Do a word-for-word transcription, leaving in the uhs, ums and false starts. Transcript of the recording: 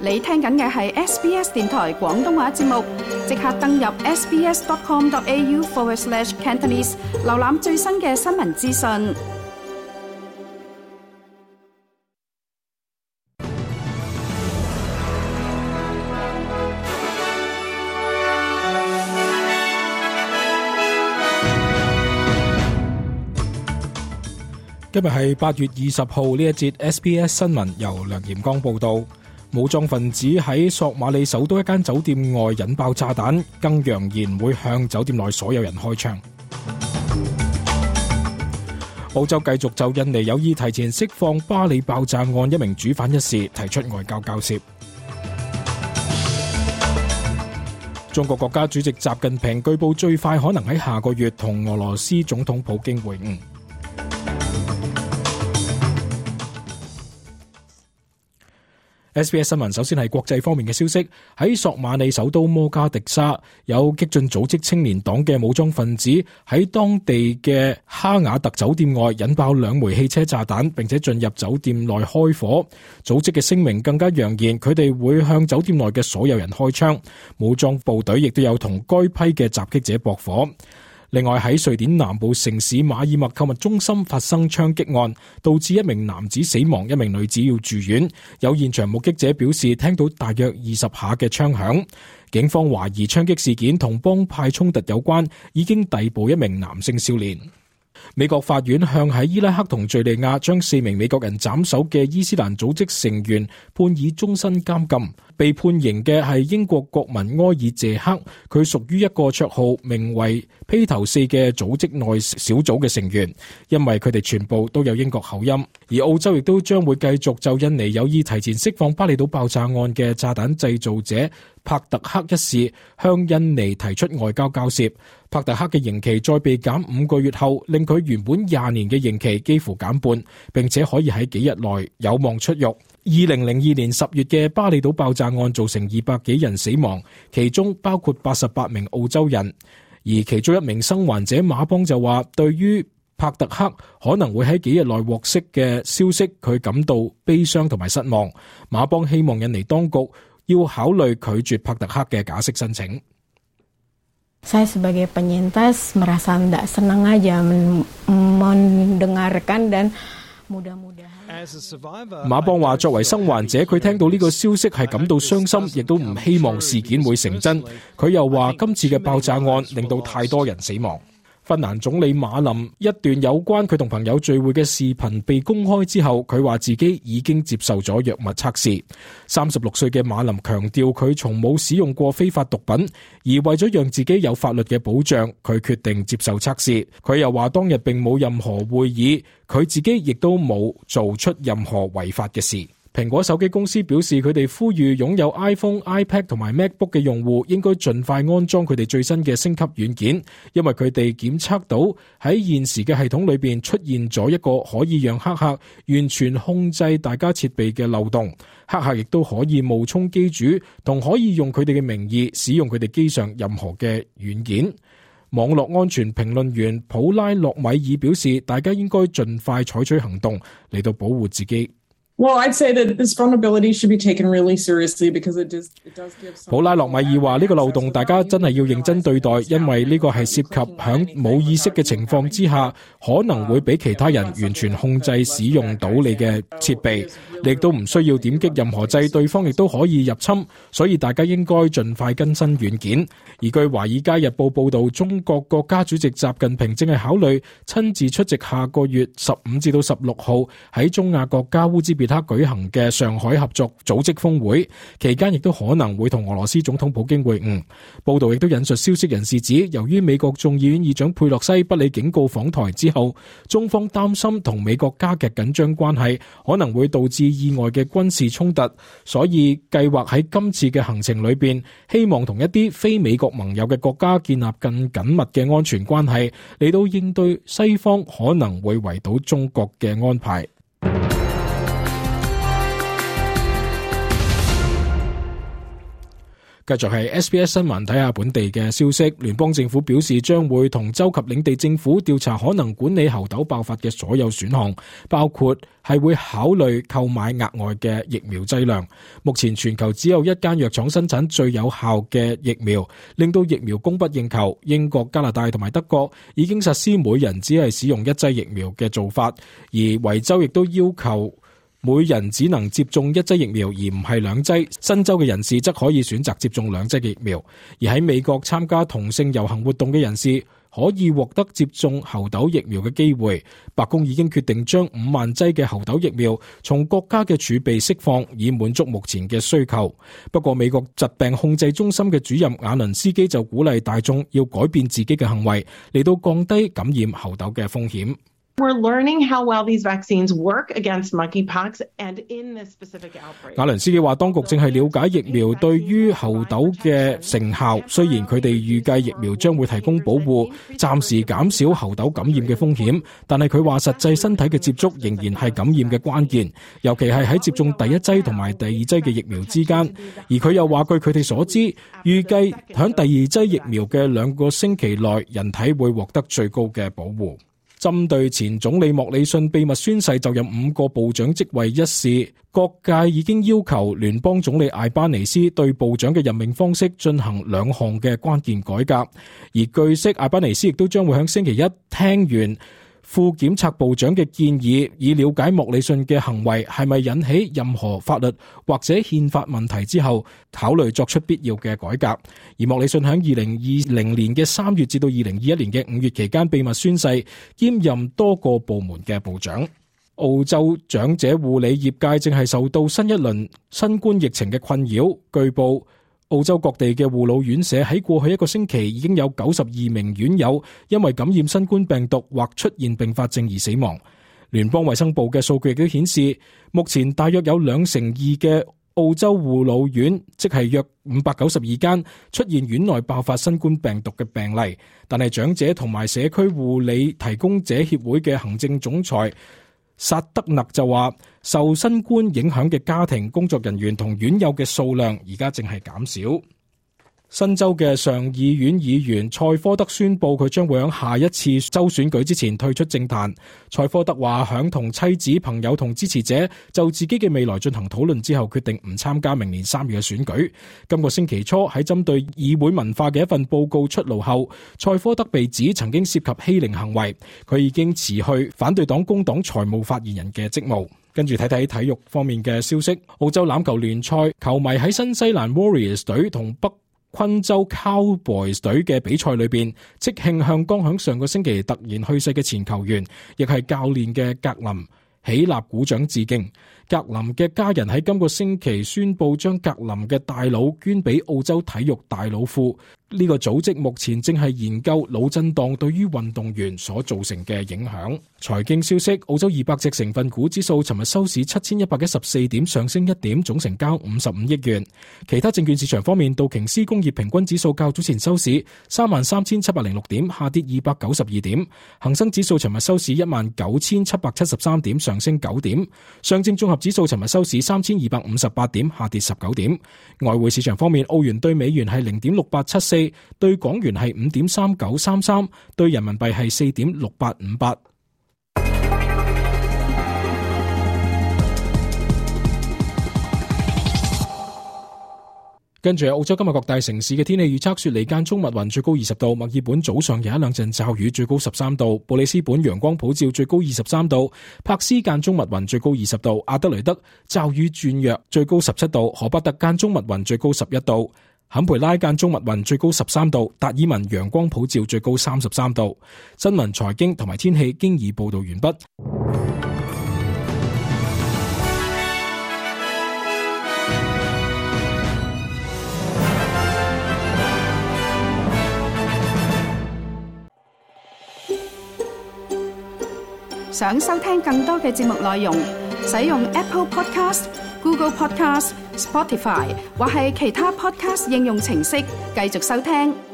你聽緊嘅係 S B S 電台廣東話節目，即刻登入 sbs.com.au forward slash Cantonese， 瀏覽最新嘅新聞資訊。今日係八月二十號，呢一節 S B S 新聞由梁炎光報道。武裝分子喺索馬里首都一間酒店外引爆炸彈，更揚言會向酒店內所有人開槍。澳洲繼續就印尼有意提前釋放巴里爆炸案一名主犯一事提出外交交涉。中國國家主席習近平據報最快可能喺下個月同俄羅斯總統普京會晤。S B S 新聞首先係國際方面嘅消息，喺索馬里首都摩加迪沙，有激進組織青年黨嘅武裝分子喺當地嘅哈瓦特酒店外引爆兩枚汽車炸彈，並且進入酒店內開火。組織嘅聲明更加揚言，佢哋會向酒店內嘅所有人開槍。武裝部隊亦都有同該批嘅襲擊者駁火。另外喺瑞典南部城市馬爾默購物中心發生槍擊案，導致一名男子死亡，一名女子要住院。有現場目擊者表示聽到大約二十下嘅槍響。警方懷疑槍擊事件同幫派衝突有關，已經逮捕一名男性少年。美國法院向喺伊拉克同敘利亞將四名美國人斬首嘅伊斯蘭組織成員判以終身監禁。被判刑嘅係英國國民埃爾謝克，佢屬於一個綽號名為披頭四嘅組織內小組嘅成員，因為佢哋全部都有英國口音。而澳洲亦都將會繼續就印尼有意提前釋放巴厘島爆炸案嘅炸彈製造者帕特克一事向印尼提出外交交涉。帕特克嘅刑期再被減五個月後，令佢原本廿年嘅刑期幾乎減半，並且可以喺幾日內有望出獄。二零零二年十月嘅巴厘島爆炸案造成二百幾人死亡，其中包括八十八名澳洲人。而其中一名生還者馬邦就話，對於帕特克可能會喺幾日內獲釋嘅消息，佢感到悲傷同埋失望。馬邦希望印尼當局要考慮拒絕帕特克嘅假釋申請。Saya sebagai penyintas merasa tidak senang aja mendengarkan dan mudah-mudahan。馬邦話：作為生還者，佢聽到呢個消息係感到傷心，亦都唔希望事件會成真。佢又話：今次嘅爆炸案令到太多人死亡。芬蘭總理馬林一段有關佢同朋友聚會嘅視頻被公開之後，佢話自己已經接受咗藥物測試。三十六歲嘅馬林強調佢從冇使用過非法毒品，而為咗讓自己有法律嘅保障，佢決定接受測試。佢又話當日並冇任何會議，佢自己亦都冇做出任何違法嘅事。蘋果手機公司表示，佢哋呼籲擁有 iPhone、iPad 同埋 MacBook 嘅用戶應該盡快安裝佢哋最新嘅升級軟件，因為佢哋檢測到喺現時嘅系統裏邊出現咗一個可以讓黑客完全控制大家設備嘅漏洞。黑客亦都可以冒充機主，同可以用佢哋嘅名義使用佢哋機上任何嘅軟件。網絡安全評論員普拉洛米爾表示，大家應該盡快採取行動嚟到保護自己。Well, I'd say that this vulnerability should be taken really seriously because it does, it does give some... 普拉洛米爾話呢個漏洞大家真係要認真對待，因為呢個係涉及響冇意識嘅情況之下，可能會俾其他人完全控制使用到你嘅設備，你亦都唔需要點擊任何掣，對方亦都可以入侵，所以大家應該盡快更新軟件。而據華爾街日報報道，中國國家主席習近平正係考慮親自出席下個月十五至到十六號喺中亞國家烏茲別克舉行嘅上海合作組織峰會，期間亦都可能會同俄羅斯總統普京會晤。報道亦都引述消息人士指，由於美國眾議院議長佩洛西不理警告訪台之後，中方擔心同美國加劇緊張關係，可能會導致意外嘅軍事衝突，所以計劃喺今次嘅行程裏邊，希望同一啲非美國盟友嘅國家建立更緊密嘅安全關係，嚟到應對西方可能會圍堵中國嘅安排。繼續係 S B S 新聞，睇下本地嘅消息。聯邦政府表示將會同州及領地政府調查可能管理猴痘爆發嘅所有選項，包括係會考慮購買額外嘅疫苗劑量。目前全球只有一間藥廠生產最有效嘅疫苗，令到疫苗供不應求。英國、加拿大同埋德國已經實施每人只係使用一劑疫苗嘅做法，而維州亦都要求每人只能接種一劑疫苗，而唔係兩劑。新州嘅人士則可以選擇接種兩劑嘅疫苗。而喺美國參加同性遊行活動嘅人士可以獲得接種猴痘疫苗嘅機會。白宮已經決定將五萬劑嘅猴痘疫苗從國家嘅儲備釋放，以滿足目前嘅需求。不過美國疾病控制中心嘅主任瓦倫斯基就鼓勵大眾要改變自己嘅行為，嚟到降低感染猴痘嘅風險。We're learning how well these vaccines work against monkeypox, and in this specific outbreak. 瓦倫斯基話，當局正係了解疫苗對於猴痘嘅成效。雖然佢哋預計疫苗將會提供保護，暫時減少猴痘感染嘅風險，但係佢話實際身體嘅接觸仍然係感染嘅關鍵，尤其係喺接種第一劑同埋第二劑嘅疫苗之間。而佢又話，據佢哋所知，預計響第二劑疫苗嘅兩個星期內，人體會獲得最高嘅保護。針對前總理莫里遜秘密宣誓就任五個部長職位一事，各界已經要求聯邦總理艾班尼斯對部長嘅任命方式進行兩項嘅關鍵改革。而據悉，艾班尼斯亦都將會喺星期一聽完副檢察部長嘅建議，以了解莫里遜嘅行為係咪引起任何法律或者憲法問題之後，考慮作出必要嘅改革。而莫里遜喺二零二零年嘅三月至到二零二一年嘅五月期間秘密宣誓，兼任多個部門嘅部長。澳洲長者護理業界正係受到新一輪新冠疫情嘅困擾，據報澳洲各地嘅護老院舍喺過去一個星期已經有九十二名院友因為感染新冠病毒或出現併發症而死亡。聯邦衛生部嘅數據亦都顯示，目前大約有兩成二嘅澳洲護老院，即係約五百九十二間出現院內爆發新冠病毒嘅病例。但係長者同埋社區護理提供者協會嘅行政總裁薩德勒就話，受新冠影響嘅家庭、工作人員同院友嘅數量而家正係減少。新州嘅上議院議員蔡科德宣布，佢將會喺下一次州選舉之前退出政壇。蔡科德話，響同妻子、朋友同支持者就自己嘅未來進行討論之後，決定唔參加明年三月嘅選舉。今個星期初喺針對議會文化嘅一份報告出爐後，蔡科德被指曾經涉及欺凌行為，佢已經辭去反對黨工黨財務發言人嘅職務。跟住睇睇體育方面嘅消息，澳洲欖球聯賽球迷喺新西蘭 Warriors 隊同北昆州 Cowboys 隊嘅比賽裏邊，即興向剛響上個星期突然去世嘅前球員，亦係教練嘅格林起立鼓掌致敬。格林嘅家人喺今個星期宣布將格林嘅大腦捐俾澳洲體育大腦庫。呢個組織目前正係研究腦震盪對於運動員所造成嘅影響。財經消息，澳洲二百隻成分股指數尋日收市七千一百一十四點，上升一點，總成交五十五億元。其他證券市場方面，道瓊斯工業平均指數較早前收市三萬三千七百零六點，下跌二百九十二點。恒生指數尋日收市一萬九千七百七十三點，上升九點。上證綜合指數尋日收市三千二百五十八點，下跌十九點。外匯市場方面，澳元對美元係零點六八七四，對港元係五點三九三三，對人民幣係四點六八五八。跟住澳洲今日各大城市嘅天氣預測，雪梨間中密雲，最高二十度；墨爾本早上有一兩陣驟雨，最高十三度；布里斯本陽光普照，最高二十三度；柏斯間中密雲，最高二十度；阿德雷德驟雨轉弱，最高十七度；荷伯特間中密雲，最高十一度；坎培拉間中密雲，最高十三度；達爾文陽光普照，最高三十三度。新聞、財經同埋天氣經已報道完畢。想收聽更多嘅節目內容，使用 Apple Podcast、Google Podcast、Spotify 或係其他 Podcast 應用程式繼續收聽。